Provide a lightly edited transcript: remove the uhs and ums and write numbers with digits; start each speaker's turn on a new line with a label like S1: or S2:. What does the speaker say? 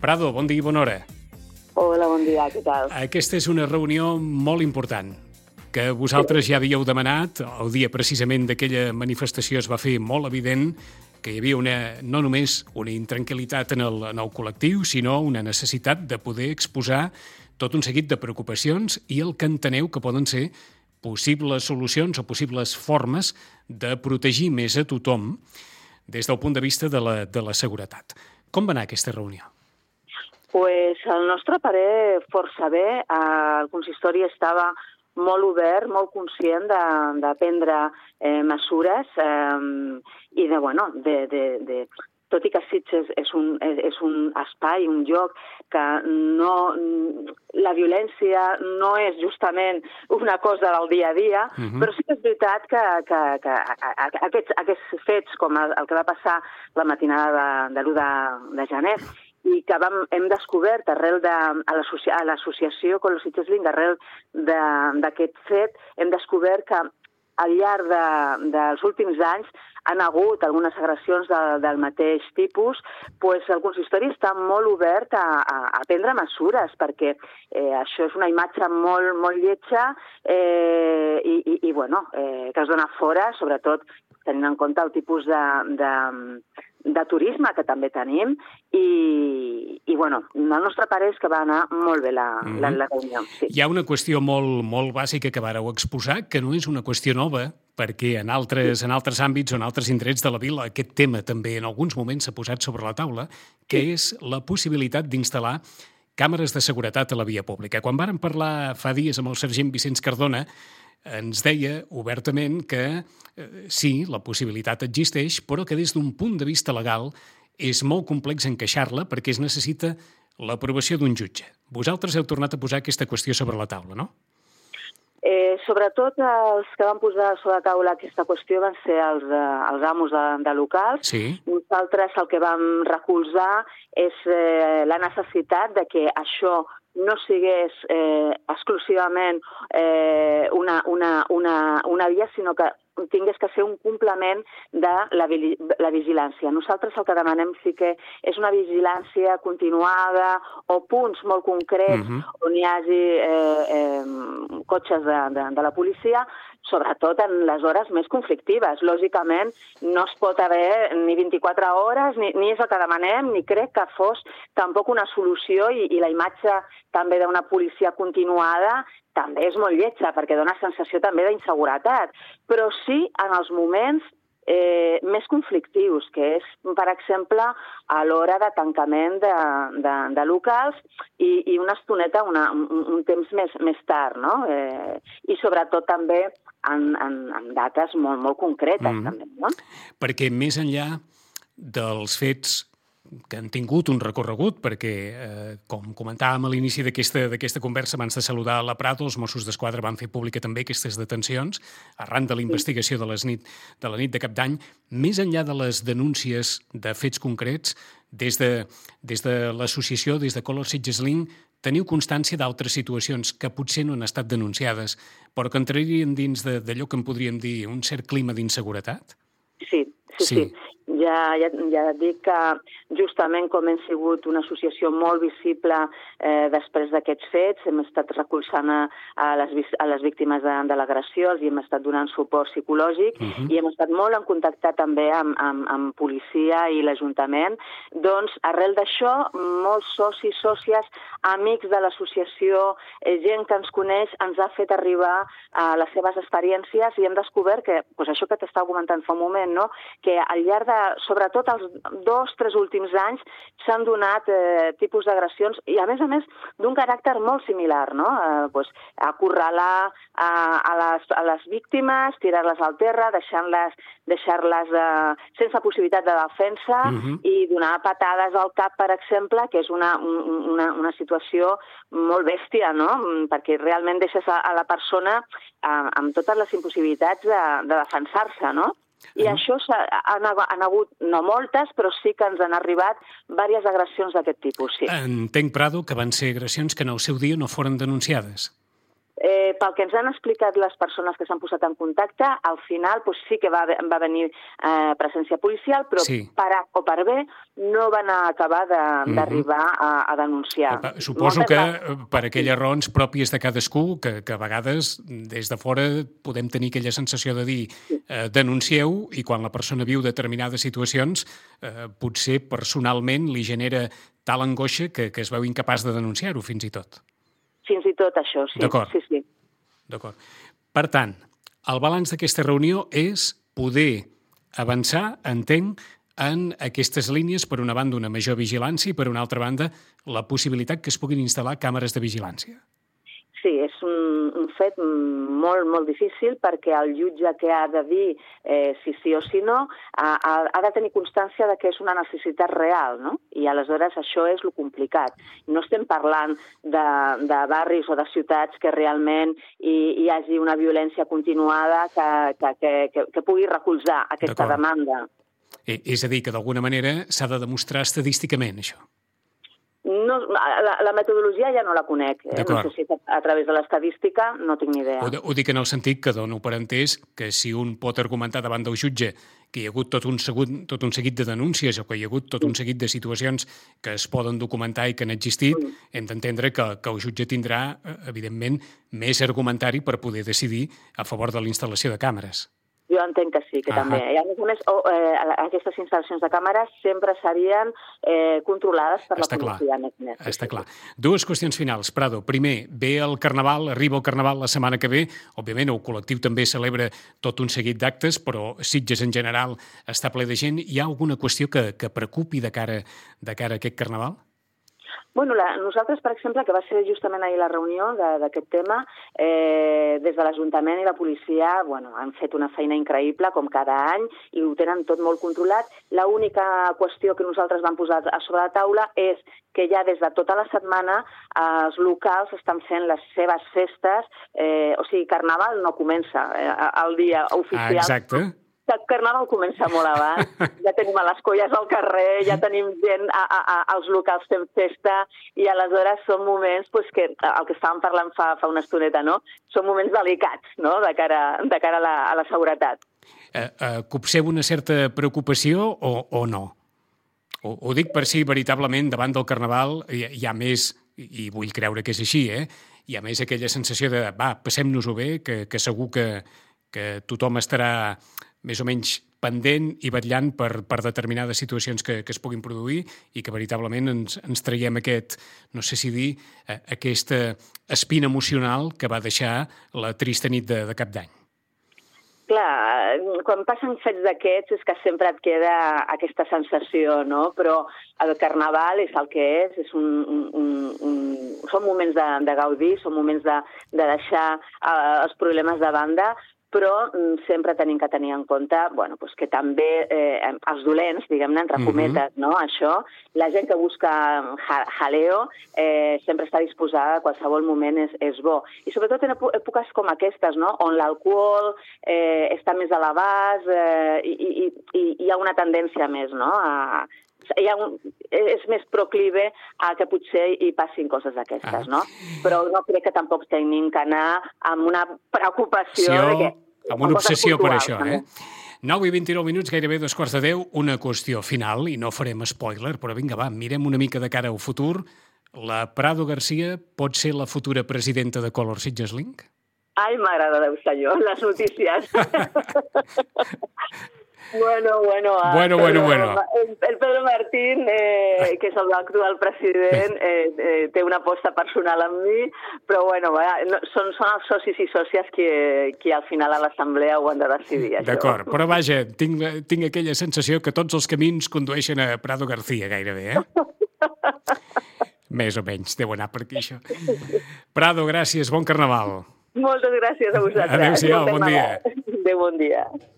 S1: Prado, bon dia i bona hora.
S2: Hola, bon dia, què tal?
S1: Aquesta és una reunió molt important, que vosaltres ja havíeu demanat. El dia precisament d'aquella manifestació es va fer molt evident que hi havia no només una intranquil·litat en el col·lectiu, sinó una necessitat de poder exposar tot un seguit de preocupacions i el que enteneu que poden ser possibles solucions o possibles formes de protegir més a tothom des del punt de vista de la seguretat. Com va anar aquesta reunió?
S2: Pues al nostre parer, força bé. El consistori estava molt obert, molt conscient de prendre mesures i tot i que Sitges és un espai, un lloc que la violència no és justament una cosa del dia a dia, però sí que és veritat que aquests fets, com el que va passar la matinada de l'1 de gener, i que hem descobert a l'associació Color Sitges Link, arrel d'aquest fet, hem descobert que al llarg dels últims anys han hagut algunes agressions del mateix tipus. El consistori està molt obert a prendre mesures, perquè això és una imatge molt lletja que es dona fora, sobretot tenint en compte el tipus de turisme que també tenim i el nostre parer és que va anar molt bé la reunió. Sí.
S1: Hi ha una qüestió molt bàsica que vàreu exposar, que no és una qüestió nova, perquè en altres àmbits o en altres indrets de la vila aquest tema també en alguns moments s'ha posat sobre la taula, que és la possibilitat d'instal·lar càmeres de seguretat a la via pública. Quan vàrem parlar fa dies amb el sergent Vicenç Cardona, ens deia obertament que sí, la possibilitat existeix, però que des d'un punt de vista legal és molt complex encaixar-la perquè es necessita l'aprovació d'un jutge. Vosaltres heu tornat a posar aquesta qüestió sobre la taula, no?
S2: Sobretot els que van posar sobre la taula aquesta qüestió van ser els amos de locals.
S1: Sí.
S2: Nosaltres el que vam recolzar és la necessitat de que això no sigués exclusivament una via, sinó que tingués que ser un complement de la vigilància. Nosaltres el que demanem sí que és una vigilància continuada o punts molt concrets on hi hagi cotxes de la policia, sobretot en les hores més conflictives. Lògicament, no es pot haver ni 24 hores, ni és el que demanem, ni crec que fos tampoc una solució i la imatge també d'una policia continuada també és molt lletja, perquè dona sensació també d'inseguretat. Però sí en els moments més conflictius, que és, per exemple, a l'hora de tancament de locals i una estoneta, un temps més tard, no? I sobretot també en dates molt concretes, també, no?
S1: Perquè més enllà dels fets que han tingut un recorregut, perquè, com comentàvem a l'inici d'aquesta conversa, abans de saludar la Prado, els Mossos d'Esquadra van fer pública també aquestes detencions, arran de la investigació de la nit de Cap d'Any. Més enllà de les denúncies de fets concrets, des de l'associació, des de Color Sitges Link, teniu constància d'altres situacions que potser no han estat denunciades, però que entrarien dins d'allò que en podríem dir un cert clima d'inseguretat?
S2: Sí. Ja et dic que justament com hem sigut una associació molt visible després d'aquests fets, hem estat recolzant a les víctimes de l'agressió, els hem estat donant suport psicològic i hem estat molt en contacte també amb policia i l'Ajuntament. Doncs arrel d'això, molts socis, sòcies, amics de l'associació, gent que ens coneix, ens ha fet arribar les seves experiències i hem descobert que, això que t'estava comentant fa un moment, no? Que al llarg de, sobretot els 2-3 últims anys, s'han donat tipus d'agressions i, a més, d'un caràcter molt similar, no? Acorralar a les víctimes, tirar-les al terra, deixar-les sense possibilitat de defensa i donar patades al cap, per exemple, que és una situació molt bèstia, no? Perquè realment deixes a la persona amb totes les impossibilitats de defensar-se, no? I això han hagut, no moltes, però sí que ens han arribat diverses agressions d'aquest tipus, sí.
S1: Entenc, Prado, que van ser agressions que en el seu dia no foren denunciades.
S2: Pel que ens han explicat les persones que s'han posat en contacte, al final sí que va venir presència policial, però per A o per B no van acabar d'arribar a denunciar.
S1: Suposo que per aquelles raons pròpies de cadascú, que a vegades des de fora podem tenir aquella sensació de dir denuncieu, i quan la persona viu determinades situacions potser personalment li genera tal angoixa que es veu incapaç de denunciar-ho fins i tot.
S2: Fins i tot això, sí.
S1: D'acord.
S2: Sí.
S1: D'acord. Per tant, el balanç d'aquesta reunió és poder avançar, entenc, en aquestes línies, per una banda una major vigilància i per una altra banda la possibilitat que es puguin instal·lar càmeres de vigilància.
S2: Sí, és un fet molt, molt difícil perquè el jutge que ha de dir si sí o si no ha de tenir constància de que és una necessitat real, no? I aleshores això és lo complicat. No estem parlant de barris o de ciutats que realment hi hagi una violència continuada que pugui recolzar aquesta demanda.
S1: És a dir, que d'alguna manera s'ha de demostrar estadísticament, això.
S2: No, la metodologia ja no la conec. No sé si a través de l'estadística no tinc ni idea.
S1: Ho dic en el sentit que dono per entès que si un pot argumentar davant del jutge que hi ha hagut tot un seguit de denúncies o que hi ha hagut tot un seguit de situacions que es poden documentar i que han existit, hem d'entendre que el jutge tindrà, evidentment, més argumentari per poder decidir a favor de la instal·lació de càmeres.
S2: Jo entenc que sí, que també. I a més, aquestes instal·lacions de càmeres sempre serien controlades per la policia.
S1: Està clar. Dues qüestions finals. Prado, primer, ve el Carnaval, arriba el Carnaval la setmana que ve. Òbviament, el col·lectiu també celebra tot un seguit d'actes, però Sitges en general està ple de gent. Hi ha alguna qüestió que preocupi de cara a aquest Carnaval?
S2: Bueno, nosaltres, per exemple, que va ser justament ahir la reunió d'aquest tema, des de l'Ajuntament i la policia han fet una feina increïble, com cada any, i ho tenen tot molt controlat. L'única qüestió que nosaltres vam posar a sobre la taula és que ja des de tota la setmana els locals estan fent les seves festes, o sigui, Carnaval no comença el dia oficial.
S1: Exacte.
S2: El Carnaval comença molt abans, ja tenim a les colles al carrer, ja tenim gent als locals fent festa, i aleshores són moments que, el que estàvem parlant fa una estoneta, no? Són moments delicats, no?, de cara a la seguretat.
S1: Copseu una certa preocupació o no? Ho dic per si veritablement davant del Carnaval hi ha més, i vull creure que és així, hi ha més aquella sensació de passem-nos-ho bé, que segur que tothom estarà més o menys pendent i vetllant per determinades situacions que es puguin produir i que veritablement ens traiem no sé si dir, aquesta espina emocional que va deixar la trista nit de Cap d'Any.
S2: Clar, quan passen fets d'aquests és que sempre et queda aquesta sensació, no? Però el Carnaval és el que és són moments de gaudir, són moments de deixar els problemes de banda, però sempre tenim que tenir en compte que també els dolents, diguem-ne, entre cometes, no? Això, la gent que busca jaleo sempre està disposada, a qualsevol moment és bo. I sobretot en èpoques com aquestes, no?, on l'alcohol està més a l'abast i hi ha una tendència més, no?, és més proclive a que potser hi passin coses d'aquestes, no? Però no crec que tampoc tenim que anar amb una preocupació
S1: amb una obsessió per això, 9:29, gairebé 9:45, una qüestió final, i no farem spoiler, però vinga, mirem una mica de cara al futur. La Prado García pot ser la futura presidenta de Color Sitges Link?
S2: Ai, m'agrada, Déu senyor, les notícies. Bueno. El Pedro Martín, que és l'actual president, té una aposta personal amb mi, però són els socis i sòcies qui al final a l'assemblea ho han de decidir.
S1: D'acord, però vaja, tinc aquella sensació que tots els camins condueixen a Prado García gairebé, Més o menys, deu anar per aquí, això. Prado, gràcies, bon Carnaval.
S2: Moltes gràcies a vosaltres.
S1: Adéu-siau, bon dia.
S2: Adéu, bon dia.